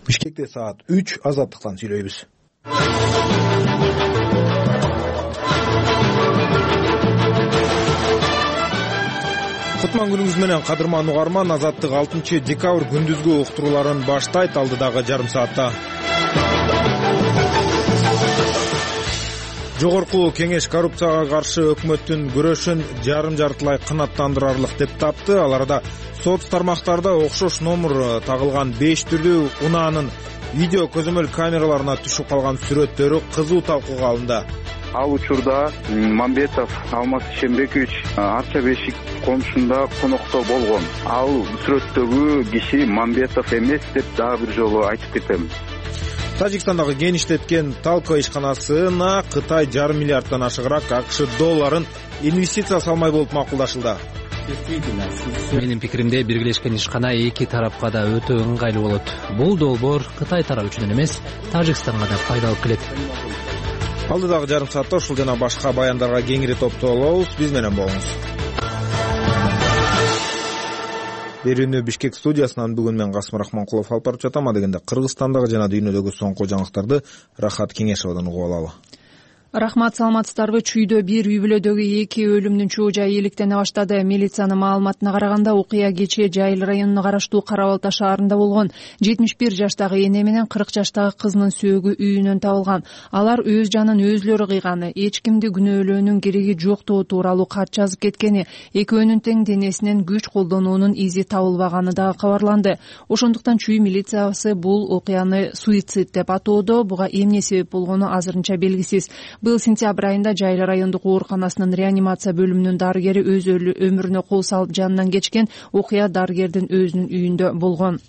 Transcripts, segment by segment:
Бишкекте саат 3 Азаттыктан сүйлөйбүз. Кутман күнүңүз менен кадырман угарман. Азаттык 6 декабрь күндүзгү уктурууларын баштайт алдыдагы жарым саатта. Жогорку кеңеш коррупцияга каршы өкмөттүн күрөшүн жарым-жартылай канааттандырарлык деп тапты. Ал арада соц тармактарда окшош номер тагылган 5 түрдүү унаанын видео көзөмөл камераларына түшүп калган сүрөттөрү кызуу талкууга алынды. Ал учурда Мамбетов Алмаз Ишенбекович Арча Бешик конушунда конокто болгон. Ал сүрөттөгү киши Мамбетов эмес деп дагы бир жолу айтып кетем. Тажикстандагы геништеткен Талко ишканасына Кытай жарым миллиарддан ашыгыраак АКШ долларын инвестиция салмай болуп макулдашылды. Менин пикиримде биргелешкен ишкана эки тарапка да өтө ыңгайлуу болот. Бул долбоор Кытай тарабы үчүн эмес, Тажикстанга да пайдалуу келет. Алдыдагы жарым саатта ушул жана башка баяндарга кеңири топтолобуз. Биз менен болуңуз. Берүүнү Бишкек студиясынан бүгүн мен Касым Рахманкулов алып барып жатам. Дегенде Кыргызстандагы жана дүйнөдөгү соңку жаңылыктарды Рахат Кеңешовдон угуп алалы. Рахмат, саламатсыздарбы? Чүйдө бир үй бүлөдөгү 2 өлүмдүн чоо жайы иликтене баштады. Милициянын маалыматына караганда окуя кечээ Жайыл районуна караштуу Кара Балта шаарында болгон. 71 жаштагы эне менен 40 жаштагы кызынын сөөгү үйүнөн табылган. Алар өз жанын өзлөрү кыйганы, эч кимди күнөөлөөнүн кереги жоктугу тууралуу кат жазып кеткени, экөөнүн тең денесинен күч колдонуунун изи табылбаганы дагы кабарланды. Ошондуктан чүй милициясы бул окуяны суицид деп атоодо. Буга эмне себеп болгону азырынча белгисиз. Быйыл сентябрь айында Жайыл райондук ооруканасынын реанимация бөлүмүнүн дарыгери өз өмүрүнө кол салып жанынан кечкен. Окуя дарыгердин өзүнүн үйүндө болгон.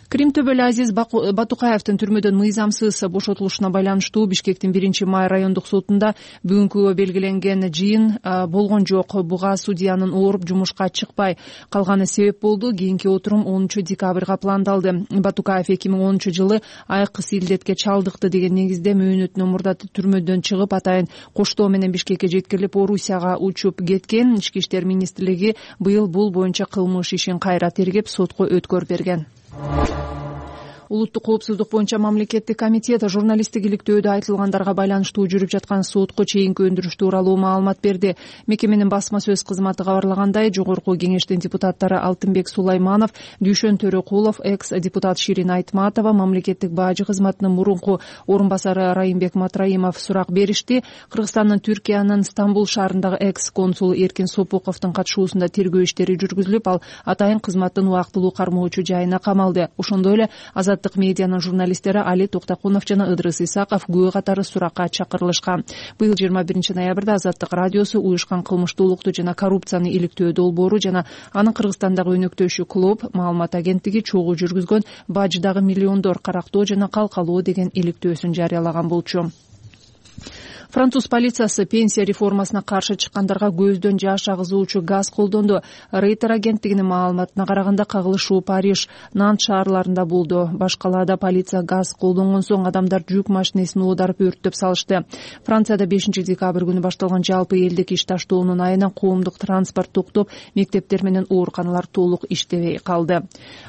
Крим төбөлү Азиз Батукаевдин түрмөдөн мыйзамсыз бошотулушуна байланыштуу Бишкектин 1-май райондук сотунда бүгүнкүгө белгиленген жыйын болгон жок. Буга судьянын ооруп жумушка чыкпай калганы себеп болду. Кийинки отурум 10 декабрга пландалды. Батукаев 2010-жылы айкы силдетке чалдыкты деген негизде мөөнөтүнөн мурда түрмөдөн чыгып, атайын коштоо менен Бишкекке жеткирилип, Орусияга учуп кеткен. Ички иштер министрлиги быйыл бул боюнча кылмыш ишин кайра тергеп, сотко өткөрүп берген. Улуттук коопсуздук боюнча мамлекеттик комитет журналисттик иликтөөдө айтылгандарга байланыштуу жүрүп жаткан сотко чейинки өндүрүш тууралуу маалымат берди. Мекеменин басма сөз кызматы кабарлагандай, жогорку кеңештин депутаттары Алтынбек Сулайманов, Дүйшөн Төрөкулов, экс-депутат Ширин Айтматова, мамлекеттик бажы кызматынын мурунку орун басары Райымбек Матраимов сурак беришти. Кыргызстандын Түркиянын Стамбул шаарындагы экс-консул Эркин Сопуковдун катышуусунда тергөө иштери жүргүзүлүп, ал атайын кызматтын убактылуу кармоочу жайына камалды. Ошондой эле Азаттык медианын журналисттери Али Токтакунов жана Ыдрыс Исаков күбө катары суракка чакырылышкан. Быйыл 21 ноябрда Азаттык радиосу уюшкан кылмыштуулукту жана коррупцияны иликтөө долбоору жана анын Кыргызстандагы өнөктөшү клуб маалымат агенттиги чогуу жүргүзгөн баждагы миллиондор карактоо жана калкалоо деген иликтөөсүн жарыялаган болчу. Француз полициясы пенсия реформасына каршы чыккандарга көздөн жаш агызуучу газ колдонду. Рейтер агенттигинин маалыматына караганда кагылышуу Париж, Нант шаарларында болду. Башкалаада полиция газ колдонгон соң адамдар жүк машинесин оодарып өрттөп салышты. Францияда 5 декабрь күнү башталган жалпы элдик иш таштоонун айынан коомдук транспорт токтоп, мектептер менен ооруканалар толук иштебей калды.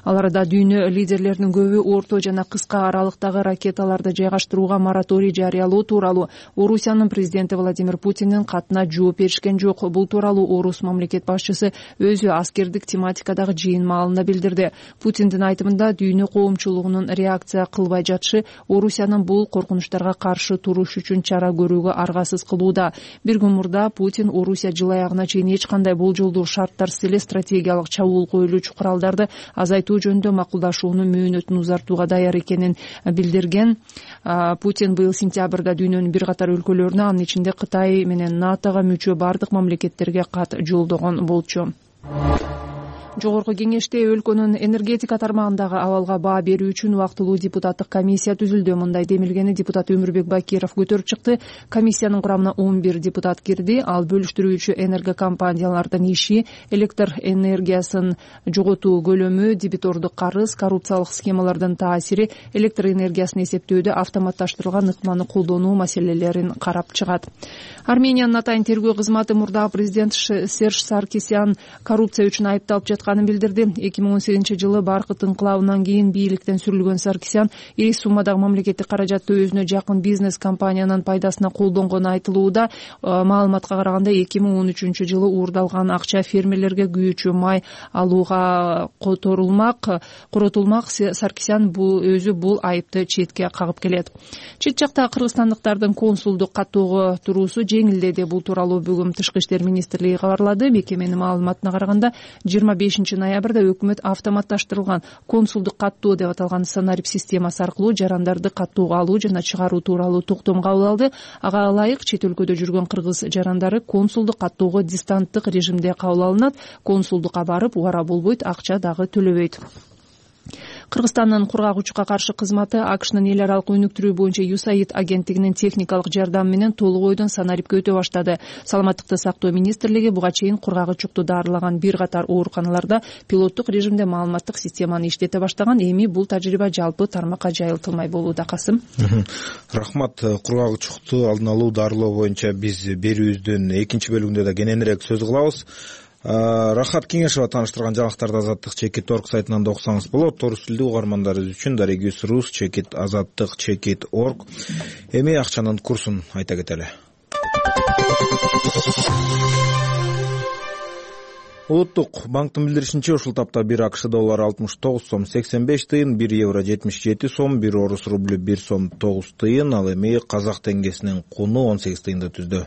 Ал арада дүйнө лидерлеринин көбү орто жана кыска аралыктагы ракеталарды жайгаштырууга мораторий жарыялоо тууралуу Орусиянын президенти Владимир Путиндин катына жооп беришкен жок. Бул тууралуу Орус мамлекет башчысы өзү аскердик тематикадагы жыйын маалында билдирди. Путиндин айтымында дүйнө коомчулугунун реакция кылбай жатышы Орусиянын бул коркунучтарга каршы туруш үчүн чара көрүүгө аргасыз кылууда. Бир күн мурда Путин Орусия жыл аягына чейин эч кандай болжолдуу шарттарсыз эле стратегиялык чабуул коюлуучу куралдарды азайтуу жөнүндө макулдашуунун мөөнөтүн узартууга даяр экенин билдирген. Путин быйыл сентябрда дүйнөнүн бир катар өлкөлөрүнө, анын ичинде Кытай менен НАТОго мүчө бардык мамлекеттерге кат жолдогон болчу. Жогорку кеңеште өлкөнүн энергетика тармагындагы абалга баа берүү үчүн убактылуу депутаттык комиссия түзүлдү. Мындай демилгени депутат Өмүрбек Бакиров көтөрүп чыкты. Комиссиянын курамына 11 депутат кирди. Ал бөлүштүрүүчү энергокомпаниялардын иши, электр энергиясын жоготуу көлөмү, дебитордук карыз, коррупциялык схемалардын таасири, электр энергиясын эсептөөдө автоматташтырылган ыкманы колдонуу маселелерин карап чыгат. Армениянын атайын тергөө кызматы мурдагы президент Серж Саркисян коррупция үчүн айыпталып жаткан жатканын билдирди. 2018-жылы Баркыт инкылабынан кийин бийликтен сүрүлгөн Саркисян ири суммадагы мамлекеттик каражатты өзүнө жакын бизнес компаниянын пайдасына колдонгону айтылууда. Маалыматка караганда 2013-жылы уурдалган акча фермерлерге күйүүчү май алууга коротулмак. Саркисян өзү бул айыпты четке кагып келет. Чет жакта кыргызстандыктардын консулдук каттоого туруусу жеңилдеди. Бул тууралуу бүгүн Тышкы иштер министрлиги кабарлады. Мекеменин маалыматына караганда 25-ноябрда өкмөт автоматташтырылган консулдук каттоо деп аталган санарип системасы аркылуу жарандарды каттоого алуу жана чыгаруу тууралуу токтом кабыл алды. Ага ылайык чет өлкөдө жүргөн кыргыз жарандары консулдук каттоого дистанттык режимде кабыл алынат. Консулдукка барып убара болбойт, акча дагы төлөбөйт. Кыргызстандын кургак учукка каршы кызматы АКШнын эл аралык өнүктүрүү боюнча USAID агенттигинин техникалык жардамы менен толук ойдон санарипке өтө баштады. Саламаттыкты сактоо министрлиги буга чейин кургак учукту дарылаган бир катар ооруканаларда пилоттук режимде маалыматтык системаны иштете баштаган. Эми бул тажрыйба жалпы тармакка жайылтылмай болууда. Касым. Рахмат. Кургак учукту алдын алуу, дарылоо боюнча биз берүүбүздүн экинчи бөлүгүндө да кененирээк сөз кылабыз. Рахат Кеңешова тааныштырган жаңылыктарды Азаттык Чекит.орг сайтынан да окусаңыз болот. Орус тилдүү угармандарыбыз үчүн Дарегис.рус Чекит Азаттык Чекит.орg. Эми акчанын курсун айта кетели. Улуттук банктын билдиришинче, ушул тапта 1 АКШ доллары 69 сом 85 тыйын, 1 евро 77 сом, 1 орус рублю 1 сом 9 тыйын, ал эми казак теңгесинин куну 18 тыйынды түздү.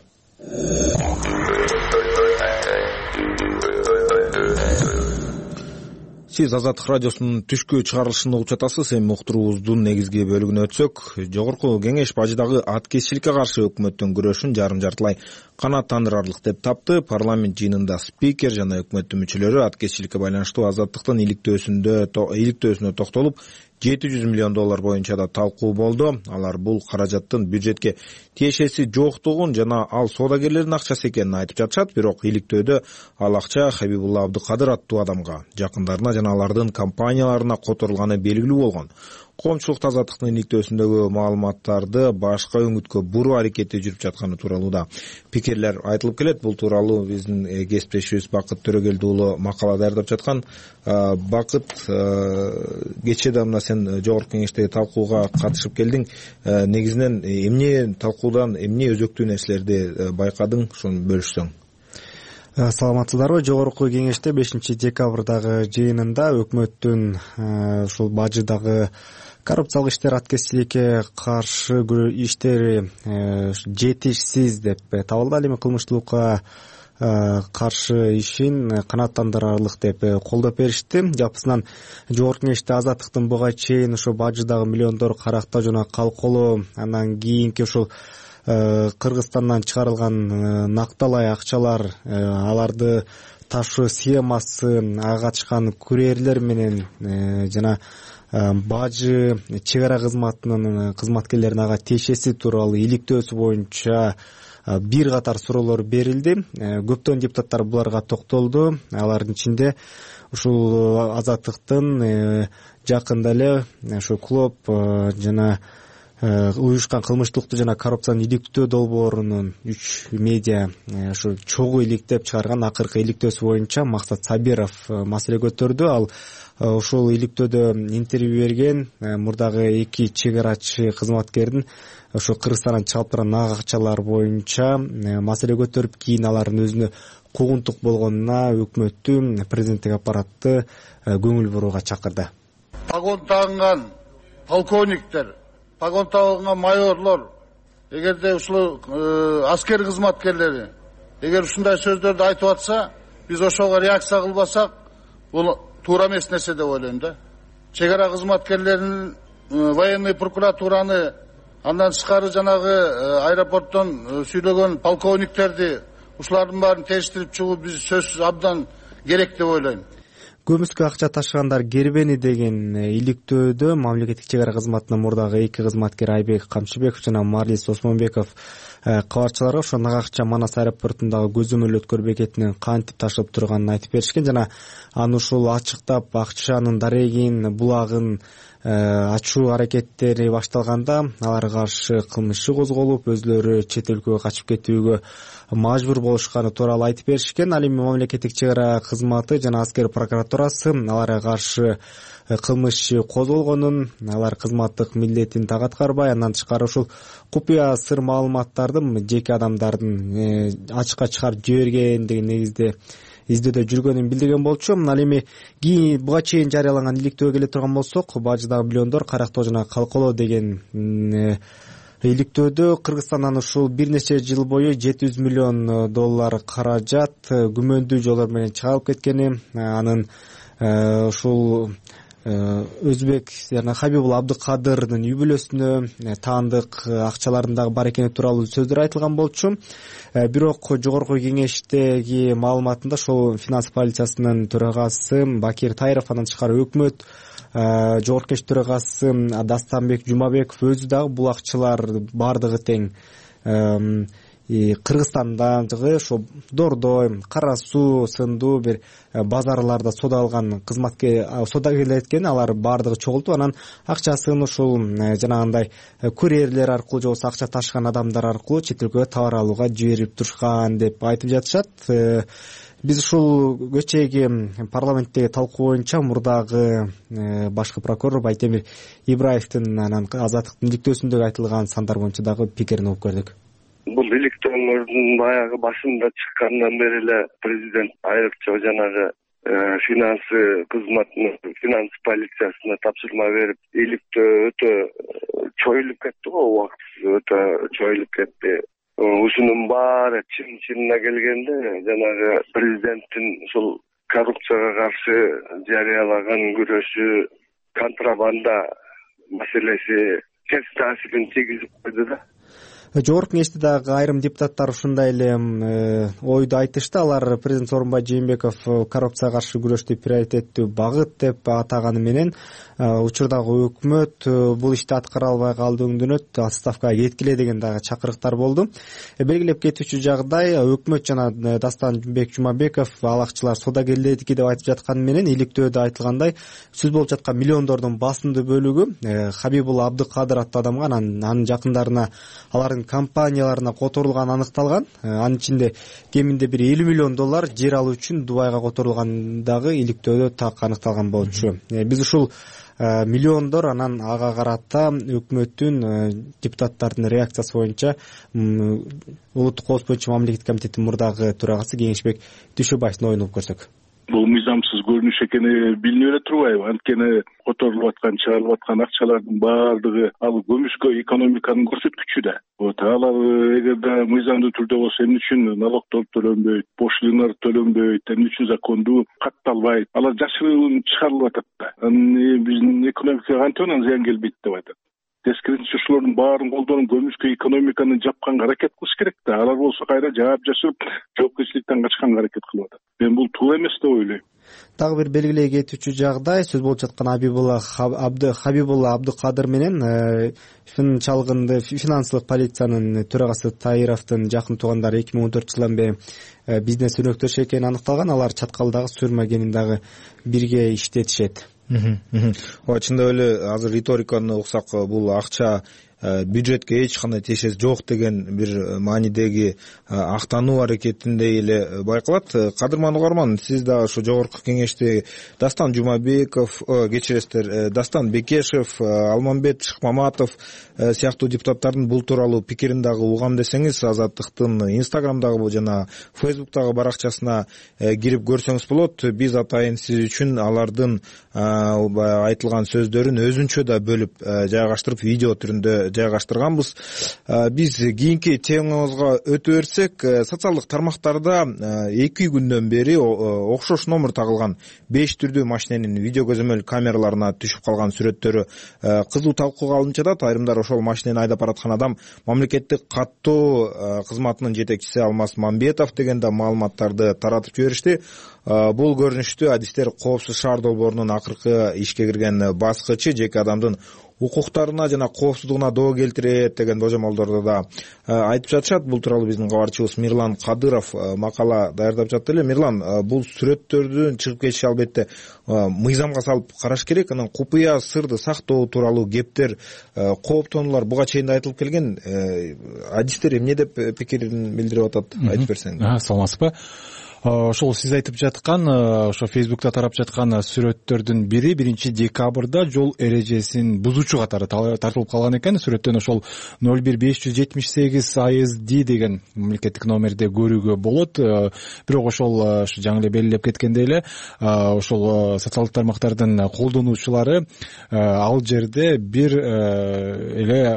Сиз Азаттык радиосунун түшкү чыгарылышын угуп жатасыз. Эми уктуруубуздун негизги бөлүгүнө өтсөк, жогорку кеңеш бажыдагы аткезчиликке каршы өкмөттүн күрөшүн жарым-жартылай канааттандырарлык деп тапты. Парламент жыйынында спикер жана өкмөттүн мүчөлөрү аткезчиликке байланыштуу азаттыктын иликтөөсүнө токтолуп, 700 миллион доллар боюнча да талкуу болду. Алар бул каражаттын бюджетке тиешеси жоктугун жана ал соодагерлердин акчасы экенин айтып жатышат. Бирок иликтөөдө ал акча Хабибулла Абдыкадыр аттуу адамга, жакындарына жана алардын компанияларына которулганы белгилүү болгон. Коомчулук азаттыктын иликтөөсүндөгү маалыматтарды башка өңүткө буруу аракети жүрүп жатканы тууралуу да пикирлер айтылып келет. Бул тууралуу биздин кесиптешибиз Бакыт Төрөгелди уулу макала даярдап жаткан. Бакыт, кечээ да мына сен жогорку кеңештеги талкууга катышып келдиң. Негизинен эмне талкуудан эмне өзөктүү нерселерди байкадың, ошону бөлүшсөң. Саламатсыздарбы? Жогорку кеңеште 5 декабрдагы жыйынында өкмөттүн ушул бажыдагы коррупциялык иштер, аткезчиликке каршы иштери жетишсиз деп табылды. Ал эми кылмыштуулукка каршы ишин канааттандырарлык деп колдоп беришти. Жапысынан жогорку кеңеште азаттыктын буга чейин ошо бажыдагы миллиондор карактоо жана калколоо, андан кийинки ушул Кыргызстандан чыгарылган накталай акчалар, аларды ташуу схемасы, ага катышкан курьерлер менен жана бажы чек ара кызматынын кызматкерлеринин ага тиешеси тууралуу иликтөөсү боюнча бир катар суроолор берилди. Көптөгөн депутаттар буларга токтолду. Алардын ичинде ушул азаттыктын жакында эле ошо клуб жана уюшкан кылмыштуулукту жана коррупцияны иликтөө долбоорунун 3 медиа ушу чогуу иликтеп чыгарган акыркы иликтөөсү боюнча Максат Сабиров маселе көтөрдү. Ал ушул иликтөөдө интервью берген мурдагы 2 чек арачы кызматкердин ошо Кыргызстандан чыгып турган акчалар боюнча маселе көтөрүп, кийин алардын өзүнө куугунтук болгонуна өкмөттү, президенттик аппаратты көңүл бурууга чакырды. Погон тагынган полковниктер, погон тагынган майорлор, эгерде ушул аскер кызматкерлери эгер ушундай сөздөрдү айтып атса, биз ошого реакция кылбасак, бул туура эмес нерсе деп ойлойм да. Чек ара кызматкерлеринин военный прокуратураны, андан тышкары жанагы аэропорттон сүйлөгөн полковниктерди, ушулардын баарын териштирип чыгуу биз сөзсүз абдан керек деп ойлойм. Көмүскө акча ташыгандар кербени деген иликтөөдө мамлекеттик чек ара кызматынын мурдагы 2 кызматкери Айбек Камчыбеков жана Марлис Осмонбеков кабарчыларга ошо акча Манас аэропортундагы көзөмөл бекетинен кантип ташылып турганын айтып беришкен жана аны ушул ачыктап акчанын дарегин, булагын ачуу аракеттери башталганда аларга каршы кылмыш иши козголуп өзүлөрү чет өлкөгө качып кетүүгө мажбур болушканы тууралуу айтып беришкен. Ал эми мамлекеттик чек ара кызматы жана аскер прокуратурасы аларга каршы кылмыш иши козголгонун, алар кызматтык милдетин так аткарбай, андан тышкары ушул купуя сыр маалыматтардын жеке адамдардын ачыкка чыгарып жибергендиги негизде издөөдө жүргөнүн билдирген болчу. Ал эми буга чейин жарыяланган иликтөөгө келе турган болсок, бажыдагы миллиондор карактоо жана калкалоо деген иликтөөдө Кыргызстандан ушул бир нече жыл бою $700 миллион каражат күмөндүү жолдор менен чыгарылып кеткени, анын ушул Өзбек жана Хабибул Абдыкадырдын үй бүлөсүнө таандык акчаларындагы бар экени тууралуу сөздөр айтылган болчу. Бирок жогорку кеңештеги маалыматында ошол финанс полициясынын төрагасы Бакир Тайыров, андан тышкары өкмөт жогорку кеңеш төрагасы Дастанбек Жумабеков өзү дагы бул акчалар бардыгы тең Кыргызстандагы ошо Дордой, Кара Суу сындуу бир базарларда содалган содагерлер экен, алар бардыгы чогултуп, анан акчасын ушул жанагындай курьерлер аркылуу же болбосо акча ташыган адамдар аркылуу чет өлкөгө товар алууга жиберип турушкан деп айтып жатышат. Биз ушул кечээги парламенттеги талкуу боюнча мурдагы башкы прокурор Байтемир Ибраевдин анан Азаттыктын иликтөөсүндөгү айтылган сандар боюнча дагы пикирин угуп көрдүк. Бул иликтөөлөрдүн баягы башында чыккандан бери эле президент айрыкча жанагы финанс кызматына, финанс полициясына тапшырма берип, иликтөө өтө чоюлуп кетти го, убактысыз өтө чоюлуп кетти. Ушунун баары чынына келгенде жанагы президенттин ушул коррупцияга каршы жарыялаган күрөшү, контрабанда маселеси терс таасирин тийгизип койду да. Жогорку кеңеште дагы айрым депутаттар ушундай эле ойду айтышты. Алар президент Сооронбай Жээнбеков коррупцияга каршы күрөштү приоритеттүү багыт деп атаганы менен учурдагы өкмөт бул ишти аткара албай калды, өңдөнөт, отставкага кеткиле деген дагы чакырыктар болду. Белгилеп кетүүчү жагдай, өкмөт жана Дастанбек Жумабеков ал акчалар содагерлердики деп айтып жатканы менен иликтөөдө айтылгандай сөз болуп жаткан миллиондордун басымдуу бөлүгү Хабибул Абдыкадыр аттуу адамга, анын жакындарына, алардын компанияларына которулганы аныкталган. Анын ичинде кеминде бир $50 миллион жер алуу үчүн Дубайга которулгандагы иликтөөдө так аныкталган болчу. Биз ушул миллиондор анан ага карата өкмөттүн депутаттардын реакциясы боюнча улуттук коопсуздук боюнча мамлекеттик комитеттин мурдагы төрагасы Кеңешбек Дүйшөбаевдин оюн угуп көрсөк. Бул мыйзамсыз көрүнүш экени билинип эле турбайбы? Анткени которулуп аткан, чыгарылып аткан акчалардын баардыгы ал көмүскө экономиканын көрсөткүчү да. Алар эгерде мыйзамдуу түрдө болсо эмне үчүн налогдор төлөнбөйт, пошлиналар төлөнбөйт, эмне үчүн закондуу катталбайт? Алар жашыруун чыгарылып атат да. Биздин экономикага кантип анан зыян келбейт деп айтат. Тескерисинче ушулардын баарын колдонуп көмүскө экономиканы жапканга аракет кылыш керек да. Алар болсо кайра жаап жашырып, жоопкерчиликтен качканга аракет кылып атат. Мен бул туура эмес деп ойлойм. Дагы бир белгилей кетүүчү жагдай, сөз болуп жаткан Хабибулла Абдыкадыр менен чалгынды финансылык полициянын төрагасы Тайыровдун жакын туугандары 2014 жылдан бери бизнес өнөктөш экени аныкталган. Алар Чаткалдагы Сүрмө кенин дагы бирге иштетишет. Чындап эле азыр риториканы уксак, бул акча бюджетке эч кандай тиешеси жок деген бир маанидеги актануу аракетиндей эле байкалат. Кадырман угарман, сиз дагы ошо жогорку кеңеште Дастан Жумабеков, Дастан Бекешев, Алмамбет Шыкмаматов сыяктуу депутаттардын бул тууралуу пикирин дагы угам десеңиз, Азаттыктын Инстаграмдагы жана Фейсбуктагы баракчасына кирип көрсөңүз болот. Биз атайын сиз үчүн алардын айтылган сөздөрүн өзүнчө да бөлүп жайгаштырып, видео түрүндө жайгаштырганбыз. Биз кийинки темабызга өтө берсек, социалдык тармактарда 2 күндөн бери окшош номер тагылган 5 түрдүү машиненин видео көзөмөл камераларына түшүп калган сүрөттөрү кызуу талкууга алынып жатат. Айрымдар ошол машинени айдап бараткан адам мамлекеттик каттоо кызматынын жетекчиси Алмаз Мамбетов деген да маалыматтарды таратып жиберишти. бул көрүнүштү адистер Коопсуз шаар долбоорунун акыркы ишке кирген баскычы жеке адамдын укуктарына жана коопсуздугуна доо келтирет деген божомолдорду да айтып жатышат. Бул тууралуу биздин кабарчыбыз Мирлан Кадыров макала даярдап жатты эле. Мирлан, бул сүрөттөрдүн чыгып кетиши албетте мыйзамга салып караш керек. Анан купуя сырды сактоо тууралуу кептер, кооптонуулар буга чейин да айтылып келген. Адистер эмне деп пикирин билдирип атат, айтып берсең. Саламатсызбы? Ошол сиз айтып жаткан, ошо Facebook'та тарап жаткан сүрөттөрдүн бири 1-декабрда жол эрежесин бузуучу катары тартылып калган экен. Сүрөттөн ошол 01578 ASD деген мамлекеттик номерде көрүүгө болот. Бирок ошол жаңы эле белгилеп кеткендей эле, ошол социалдык тармактардын колдонуучулары ал жерде бир эле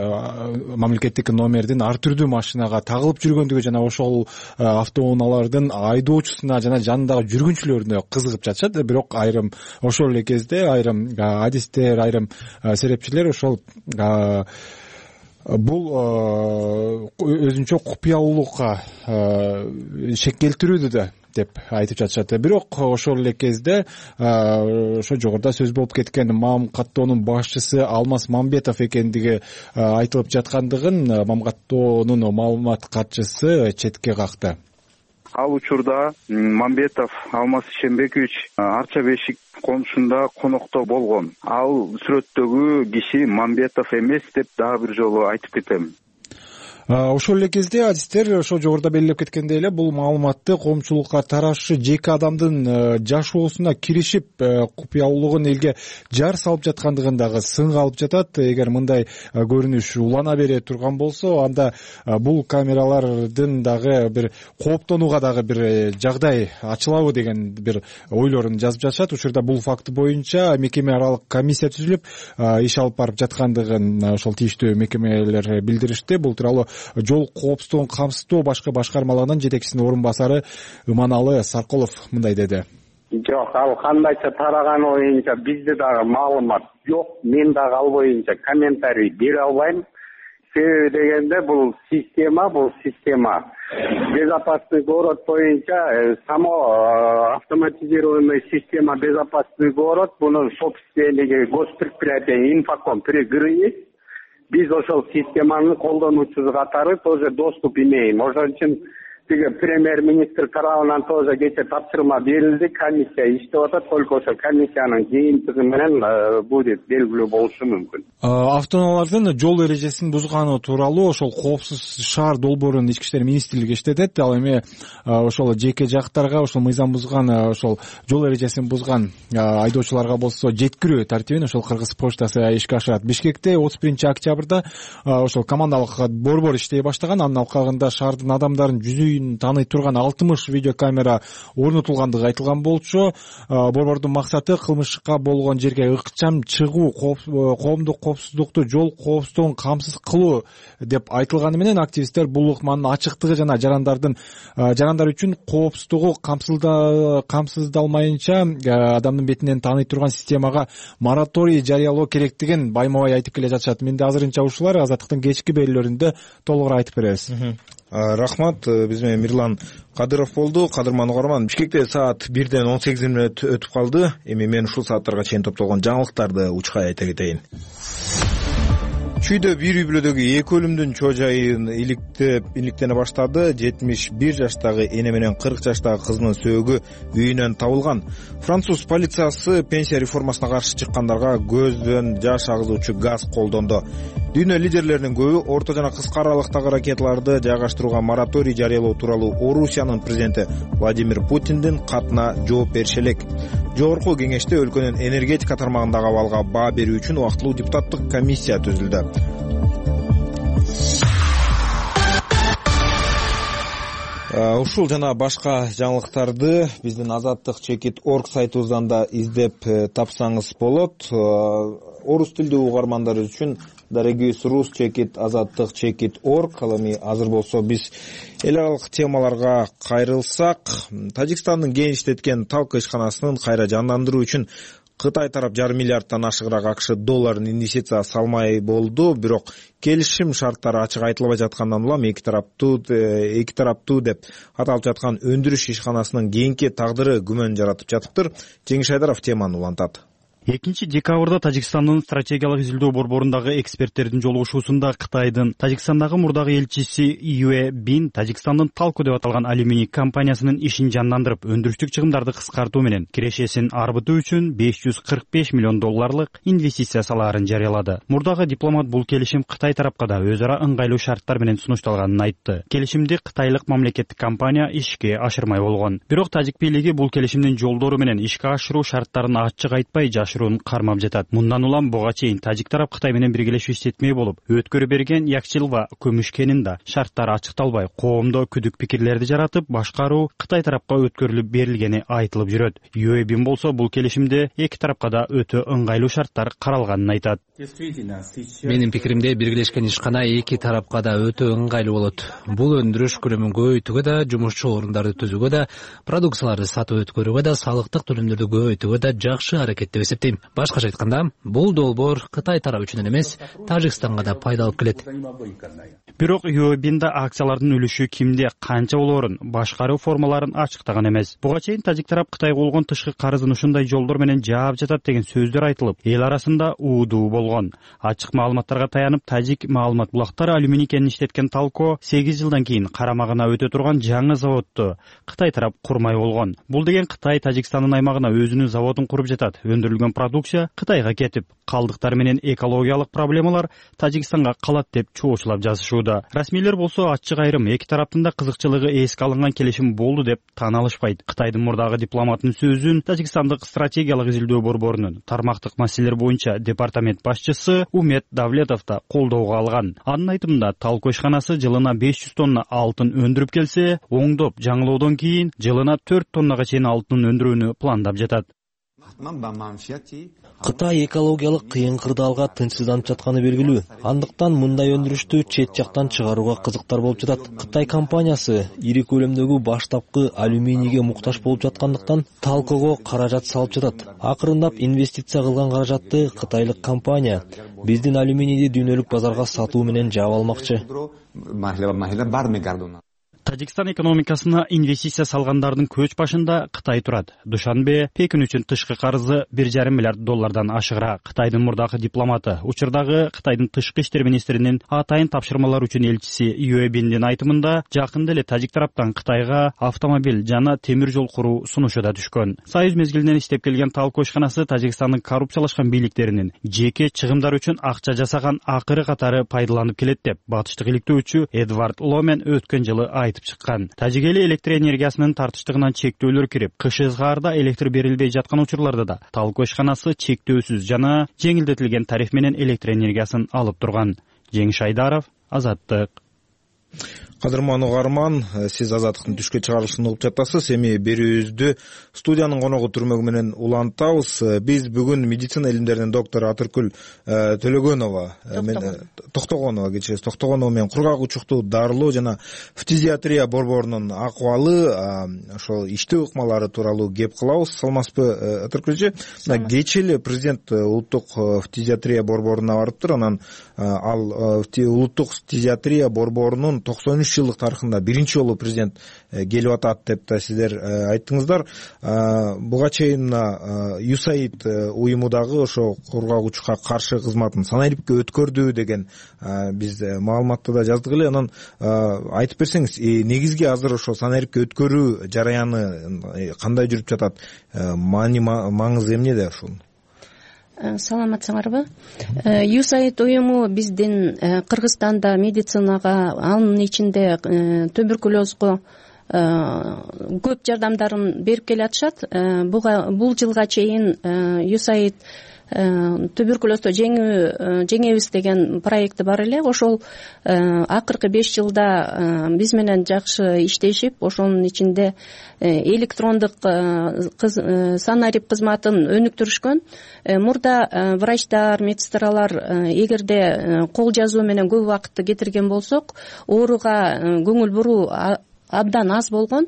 мамлекеттик номердин ар түрдүү машинага тагылып жүргөндүгү жана ошол автоунаалардын айдоочу жана жанындагы жүргүнчүлөрүнө кызыгып жатышат. Бирок айрым ошол эле кезде айрым адистер, айрым серепчилер ошол бул өзүнчө купуялуулукка шек келтирүүдө да деп айтып жатышат. Бирок ошол эле кезде ошо жогоруда сөз болуп кеткен МАМ каттоонун башчысы Алмаз Мамбетов экендиги айтылып жаткандыгын МАМ каттоонун маалымат катчысы четке какты. Ал учурда Мамбетов Алмаз Шембекович Арча Бешик комшунда конокто болгон. Ал сүрөттөгү киши Мамбетов эмес деп дагы бир жолу айтып кетем. Ошол эле кезде адистер ошо жогоруда белгилеп кеткендей эле бул маалыматты коомчулукка таратышы жеке адамдын жашоосуна киришип купуялуулугун элге жар салып жаткандыгын дагы сынга алып жатат. Эгер мындай көрүнүш улана бере турган болсо, анда бул камералардын дагы бир кооптонууга дагы бир жагдай ачылабы деген бир ойлорун жазып жатышат. Учурда бул факт боюнча мекеме аралык комиссия түзүлүп иш алып барып жаткандыгын ошол тийиштүү мекемелер билдиришти. Бул тууралуу жол коопсуздугун камсыздоо башкы башкармалыгынын жетекчисинин орун басары Иманалы Саркулов мындай деди. Жок, ал кандайча тараганы боюнча бизде дагы маалымат жок. Мен дагы ал боюнча комментарий бере албайм. Себеби дегенде бул система безопасный город боюнча само автоматизированный система безопасный город, бунун собственниги госпредприятие Инфоком при ГРИ. Биз ошол системанын колдонуучусу катары тоже доступ имеем. Ошон үчүн тиги премьер-министр тарабынан тоже кече тапшырма берилди, комиссия иштеп атат, только ошо комиссиянын жыйынтыгы менен будет белгилүү болушу мүмкүн. Автоунаалардын жол эрежесин бузганы тууралуу ошол Коопсуз шаар долбоорун ички иштер министрлиги иштетет. Ал эми ошол жеке жактарга ошол мыйзам бузган, ошол жол эрежесин бузган айдоочуларга болсо жеткирүү тартибин ошол Кыргыз почтасы ишке ашырат. Бишкекте 31-октябрда ошол командалык борбор иштей баштаган. Анын алкагында шаардын адамдарын жүзүн тааный турган 60 видеокамера орнотулгандыгы айтылган болчу. Борбордун максаты кылмышка болгон жерге ыкчам чыгуу, коомдук коопсуздукту, жол коопсуздугун камсыз кылуу деп айтылганы менен активисттер бул ыкманын ачыктыгы жана жарандар үчүн коопсуздугу камсыздалмайынча адамдын бетинен тааный турган системага мораторий жарыялоо керектигин байма-бай айтып келе жатышат. Менде азырынча ушулар. Азаттыктын кечки берүүлөрүндө толугураак айтып беребиз. Рахмат. Биз менен Мирлан Кадыров болду. Кадырман угарман, Бишкекте саат 1:18 өтүп калды. Эми мен ушул сааттарга чейин топтолгон жаңылыктарды учкай айта кетейин. Чүйдө бир үй-бүлөдөгү 2 өлүмдүн чоо жайын иликтене баштады. 71 жаштагы эне менен 40 жаштагы кызынын сөөгү үйүнөн табылган. Француз полициясы пенсия реформасына каршы чыккандарга көздөн жаш агызуучу газ колдонду. Дүйнө лидерлеринин көбү орто жана кыска аралыктагы ракеталарды жайгаштырууга мораторий жарыялоо тууралуу Орусиянын президенти Владимир Путиндин катына жооп бериши элек. Жогорку кеңеште өлкөнүн энергетика тармагындагы абалга баа берүү үчүн убактылуу депутаттык комиссия түзүлдү. Ушул жана башка жаңылыктарды биздин azattik.org сайтыбыздан да издеп тапсаңыз болот. Орус тилдүү угармандар үчүн Дорогиюс rus.azattik.org. Ал эми азыр болсо биз эл аралык темаларга кайрылсак, Тажикстандын кең иштеткен Талка ишканасынын кайра жандандыруу үчүн Кытай тарап жарым миллиардтан ашыгыраак АКШ долларын инвестиция салмай болду, бирок келишим шарттары ачык айтылбай жаткандан улам эки тараптуу деп аталып жаткан өндүрүш ишканасынын кийинки тагдыры күмөн жаратып жатыптыр. Жеңиш Айдаров теманы улантат. 2 декабрда Тажикстандын стратегиялык изилдөө борборундагы эксперттердин жолугушуусунда Кытайдын Тажикстандагы мурдагы элчиси Юэ Бин Тажикстандын Талко деп аталган алюминий компаниясынын ишин жандандырып, өндүрүштүк чыгымдарды кыскартуу менен кирешесин арбытуу үчүн $545 миллион инвестиция салаарын жарыялады. Мурдагы дипломат бул келишим Кытай тарапка да өз ара ыңгайлуу шарттар менен сунушталганын айтты. Келишимди кытайлык мамлекеттик компания ишке ашырмай болгон. Бирок Тажик бийлиги бул келишимдин жолдору менен ишке ашыруу шарттарын ачык айтпай кармап жатат. Мындан улам буга чейин Тажик тарап Кытай менен биргелешип иштетмей болуп, өткөрү берген Якчилва көмүш кенинде шарттары ачыкталбай, коомдо күдүк пикирлерди жаратып, башкаруу Кытай тарапка өткөрүлүп берилгени айтылып жүрөт. Юэбин болсо бул келишимде эки тарапка да өтө ыңгайлуу шарттар каралганын айтат. Менин пикиримде биргелешкен ишкана эки тарапка да өтө ыңгайлуу болот. Бул өндүрүш көлөмүн көбөйтүүгө да, жумушчу орундарды түзүүгө да, продукцияларды сатып өткөрүүгө да, салыктык төлөмдөрдү көбөйтүүгө да жакшы аракет деп эсептейм. Башкача айтканда, бул долбоор Кытай тарабы үчүн эмес, Тажикстанга да пайда алып келет. Бирок Юэбинда акциялардын үлүшү кимде, канча болоорун, башкаруу формаларын ачыктаган эмес. Буга чейин Тажик тарап Кытайга болгон тышкы карызын ушундай жолдор менен жаап жатат деген сөздөр айтылып, эл арасында уудуу болгон. Ачык маалыматтарга таянып, Тажик маалымат булактары алюминий кенин иштеткен Талко 8 жылдан кийин карамагына өтө турган жаңы заводду Кытай тарап курмай болгон. Бул деген Кытай Тажикстандын аймагына өзүнүн заводун куруп жатат. Өндүрүлгөн продукция Кытайга кетип, калдыктар менен экологиялык проблемалар Тажикстанга калат деп чоочулап жазышууда. Расмийлер болсо ачык айрым эки тараптын да кызыкчылыгы эске алынган келишим болду деп таан алышпайт. Кытайдын мурдагы дипломатынын сөзүн Тажикстандык стратегиялык изилдөө борборунун тармактык маселелер боюнча департамент башчысы Умет Давлетов да колдоого алган. Анын айтымында Талко ишканасы жылына 500 тонна алтын өндүрүп келсе, оңдоп жаңылоодон кийин жылына 4 тоннага чейин алтын өндүрүүнү пландап жатат. Кытай экологиялык кыйын кырдаалга тынчсызданып жатканы белгилүү. Андыктан мындай өндүрүштү чет жактан чыгарууга кызыктар болуп жатат. Кытай компаниясы ири көлөмдөгү баштапкы алюминийге муктаж болуп жаткандыктан Талкого каражат салып жатат. Акырындап инвестиция кылган каражатты кытайлык компания биздин алюминийди дүйнөлүк базарга сатуу менен жаап алмакчы. Тажикстан экономикасына инвестиция салгандардын көч башында Кытай турат. Душанбе Пекин үчүн тышкы карызы $1,5 миллиард ашыгыраак. Кытайдын мурдагы дипломаты, учурдагы Кытайдын тышкы иштер министринин атайын тапшырмалар үчүн элчиси Юэбиндин айтымында, жакында эле Тажик тараптан Кытайга автомобиль жана темир жол куруу сунушу да түшкөн. Союз мезгилинен иштеп келген Талко ишканасы Тажикстандын коррупциялашкан бийликтеринин жеке чыгымдар үчүн акча жасаган акыры катары пайдаланып келет деп батыштык иликтөөчү Эдвард Ломен өткөн жылы айтып чыккан. Тажик эли электр энергиясынын тартыштыгынан чектөөлөр кирип, кыш ызгаарда электр берилбей жаткан учурларда да Талко ишканасы чектөөсүз жана жеңилдетилген тариф менен электр энергиясын алып турган. Жеңиш Айдаров, Азаттык. Кадырман угарман, сиз Азаттыктын түшкө чыгарылышын угуп жатасыз. Эми берүүбүздү студиянын коногу түрмөгү менен улантабыз. Биз бүгүн медицина илимдеринин доктору Атыркүл Токтогонова менен кургак учуктуу дарылоо жана фтизиатрия борборунун акыбалы, ошол иштөө ыкмалары тууралуу кеп кылабыз. Саламатсызбы, Атыркүлчү? Кечээ эле президент улуттук фтизиатрия борборуна барыптыр. Анан ал улуттук фтизиатрия борборунун 93 жылдык тарыхында биринчи жолу президент келип атат деп да сиздер айттыңыздар. Буга чейин USAID уюму дагы ошо кургак учукка каршы кызматын санариптке өткөрдү деген биз маалыматты да жаздык эле. Анан айтып берсеңиз, негизги азыр ошо санарипке өткөрүү жараяны кандай жүрүп жатат? Маңызы эмнеде ушунун? Саламатсыңарбы? USAID уюму биздин Кыргызстанда медицинага, анын ичинде туберкулезго көп жардамдарын берип келатышат. Бул жылга чейин USAID туберкулезду жеңебиз деген проекти бар эле. Ошол акыркы 5 жылда биз менен жакшы иштешип, ошонун ичинде электрондук санарип кызматын өнүктүрүшкөн. Мурда врачтар, медсестралар эгерде кол жазуу менен көп убакытты кетирген болсок, ооруга көңүл буруу абдан аз болгон.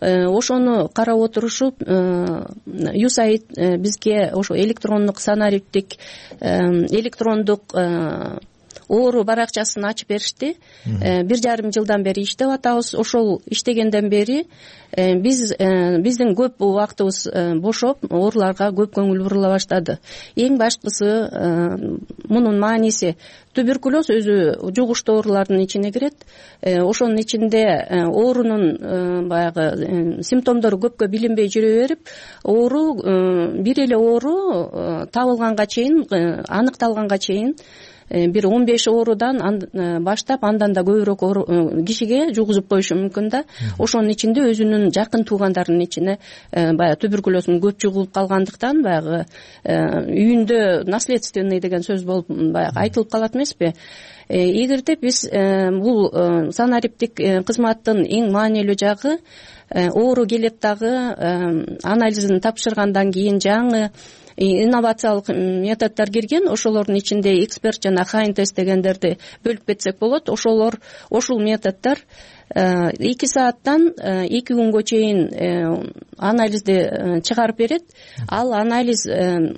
Ошону карап отурушуп USAID бизге ошо электрондук санариптик электрондук оору баракчасын ачып беришти. 1,5 жылдан бери иштеп атабыз. Ошол иштегенден бери биздин көп убактыбыз бошоп, ооруларга көп көңүл бурула баштады. Эң башкысы мунун мааниси туберкулез өзү жугуштуу оорулардын ичине кирет. Ошонун ичинде оорунун баягы симптомдору көпкө билинбей жүрө берип, оору бир эле оору табылганга чейин, аныкталганга чейин бир 15 оорудан баштап андан да көбүрөөк кишиге жугузуп коюшу мүмкүн да. Ошонун ичинде өзүнүн жакын туугандарынын ичине баягы туберкулездун көп жугулуп калгандыктан баягы үйүндө наследственный деген сөз болуп баягы айтылып калат эмеспи. Эгерде биз бул санариптик кызматтын эң маанилүү жагы оору келет дагы анализин тапшыргандан кийин жаңы инновациялык методдор кирген. Ошолордун ичинде эксперт жана хайн тест дегендерди бөлүп кетсек болот. Ошол методдор 2 сааттан 2 күнгө чейин анализди чыгарып берет. Ал анализ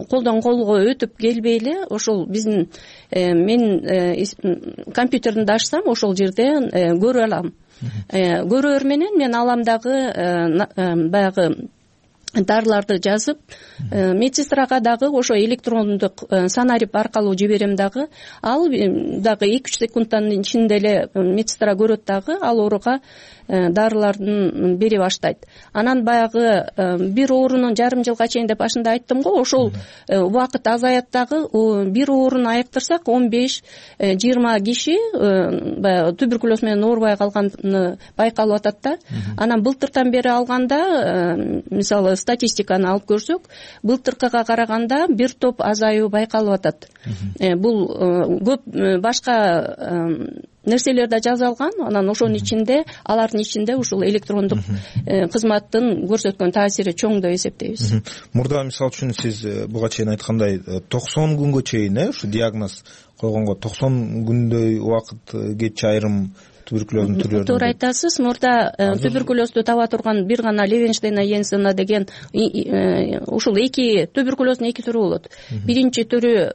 колдон колго өтүп келбей эле ошол биздин мен компьютеримди ачсам ошол жерде көрө алам. Көрөөр менен мен алам дагы баягы дарыларды жазып, медсестрага дагы ошо электрондук санарип аркылуу жиберем дагы. Ал дагы 2-3 секундтан ичинде эле медсестра көрөт дагы, ал ооруга дарылардын бере баштайт. Анан баягы бир оорунун жарым жылга чейин деп башында айттым го, ошол убакыт азаят дагы. Бир ооруну аяктырсак 15-20 киши баягы туберкулез менен оорубай калганы байкалып атат да. Анан былтыртан бери алганда, мисалы статистиканы алып көрсөк, былтыркыга караганда бир топ азаюу байкалып атат. Бул көп башка нерселер да жазалган. Анан ошонун ичинде, алардын ичинде ушул электрондук кызматтын көрсөткөн таасири чоң деп эсептейбиз. Мурда мисалы үчүн сиз буга чейин айткандай 90 күнгө чейин ушу диагноз койгонго 90 күндөй убакыт кетчү айрым туберкулездун түрлөрү. Туура айтасыз. Мурда туберкулезду таба турган бир гана Левенштейна Йенсена деген ушул туберкулездун 2 түрү болот. Биринчи түрү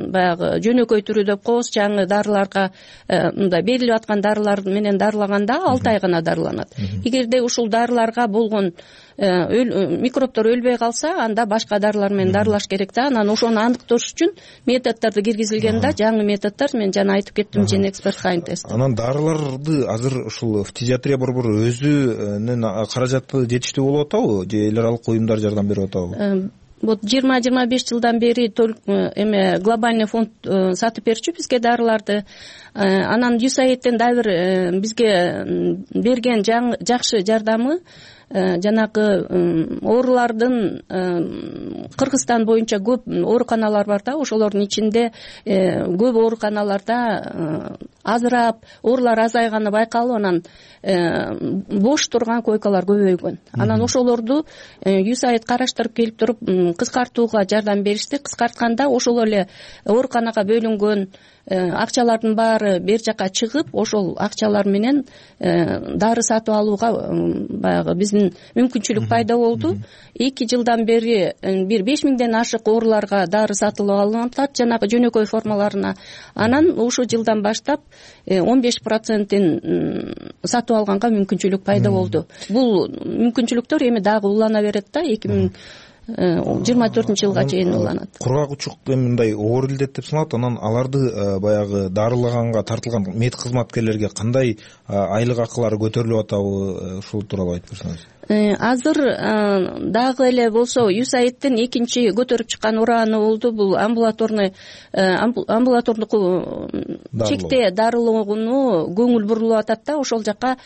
баягы жөнөкөй түрү деп коебуз. Жаңы дарыларга мындай берилип аткан дарылар менен дарылаганда 6 ай гана дарыланат. Эгерде ушул дарыларга болгон микробтор өлбөй калса, анда башка дарылар менен дарылаш керек да. Анан ошону аныктош үчүн методдорду киргизилген да. Жаңы методдор, мен жана айтып кеттим, жен эксперт хайн тест. Анан дарыларды азыр ушул фтизиатрия борбору өзүнүн каражаты жетиштүү болуп атабы, же эл аралык уюмдар жардам берип атабы? Вот 20-25 жылдан бери глобальный фонд сатып берчү бизге дарыларды. Анан USAID-тен дагы бизге берген жакшы жардамы жанагы оорулардын Кыргызстан боюнча көп ооруканалар бар да. Ошолордун ичинде көп ооруканаларда азырап оорулар азайганы байкалып, анан бош турган койкалар көбөйгөн. Анан ошолорду USAID караштырып келип туруп кыскартууга жардам беришти. Кыскартканда ошол эле ооруканага бөлүнгөн акчалардын баары бер жака чыгып, ошол акчалар менен дары сатып алууга баягы биздин мүмкүнчүлүк пайда болду. 2 жылдан бери бир 5000ден ашык ооруларга дары сатылып алынып атат, жанагы жөнөкөй формаларына. Анан ушул жылдан баштап 15%-ин сатып алганга мүмкүнчүлүк пайда болду. Бул мүмкүнчүлүктөр эми дагы улана берет да. 2024 жылга чейин уланат. Кургак учук мындай оор илдет деп саналат. Анан аларды баягы дарылаганга тартылган мед кызматкерлерге кандай айлык акылары көтөрүлүп атабы, ушул тууралуу айтып берсеңиз. Азыр дагы эле болсо USAID-тен экинчи көтөрүп чыккан ураны болду. Бул амбулатордук чекте дарылоону көңүл бурулуп атат да. Ошол жака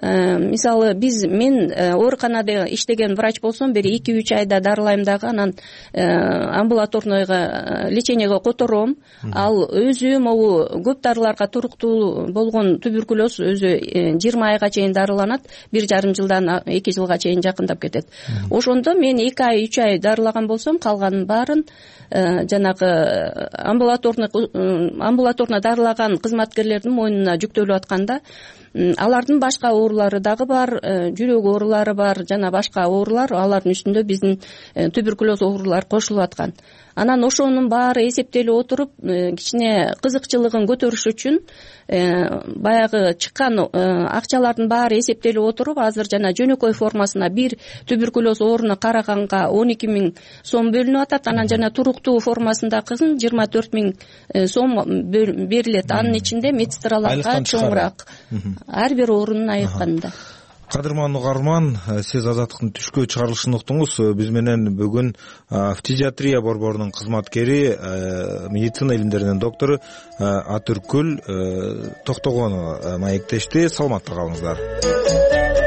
мисалы мен ооруканада иштеген врач болсом, бери 2-3 айда дарылайм дагы, анан амбулаторныйга лечениеге котором. Ал өзү могу көп дарыларга туруктуу болгон туберкулез өзү 20 айга чейин дарыланат. 1,5 жылдан 2 жылга жылга чейин жакындап кетет. Ошондо мен 2 ай 3 ай дарылаган болсом, калганын баарын жанагы амбулаторно дарылаган кызматкерлердин мойнуна жүктөлүп атканда, алардын башка оорулары дагы бар, жүрөк оорулары бар, жана башка оорулар, алардын үстүндө биздин туберкулез оорулары кошулуп аткан. Анан ошонун баары эсептелип отуруп, кичине кызыкчылыгын көтөрүш үчүн баягы чыккан акчалардын баары эсептелип отуруп, азыр жана жөнөкөй формасына бир туберкулез ооруна караганга 12 000 сом бөлүнүп атат. Анан жана туруктуу формасындагысын 24 000 сом берилет. Анын ичинде медсестраларга чоңураак ар бир оорунун айыкканда. Кадырман угарман, сиз Азаттыктын түшкө чыгарылышын уктуңуз. Биз менен бүгүн фтизиатрия борборунун кызматкери, медицина илимдеринин доктору Атүркүл Токтогонова маектешти. Саламатта калыңыздар.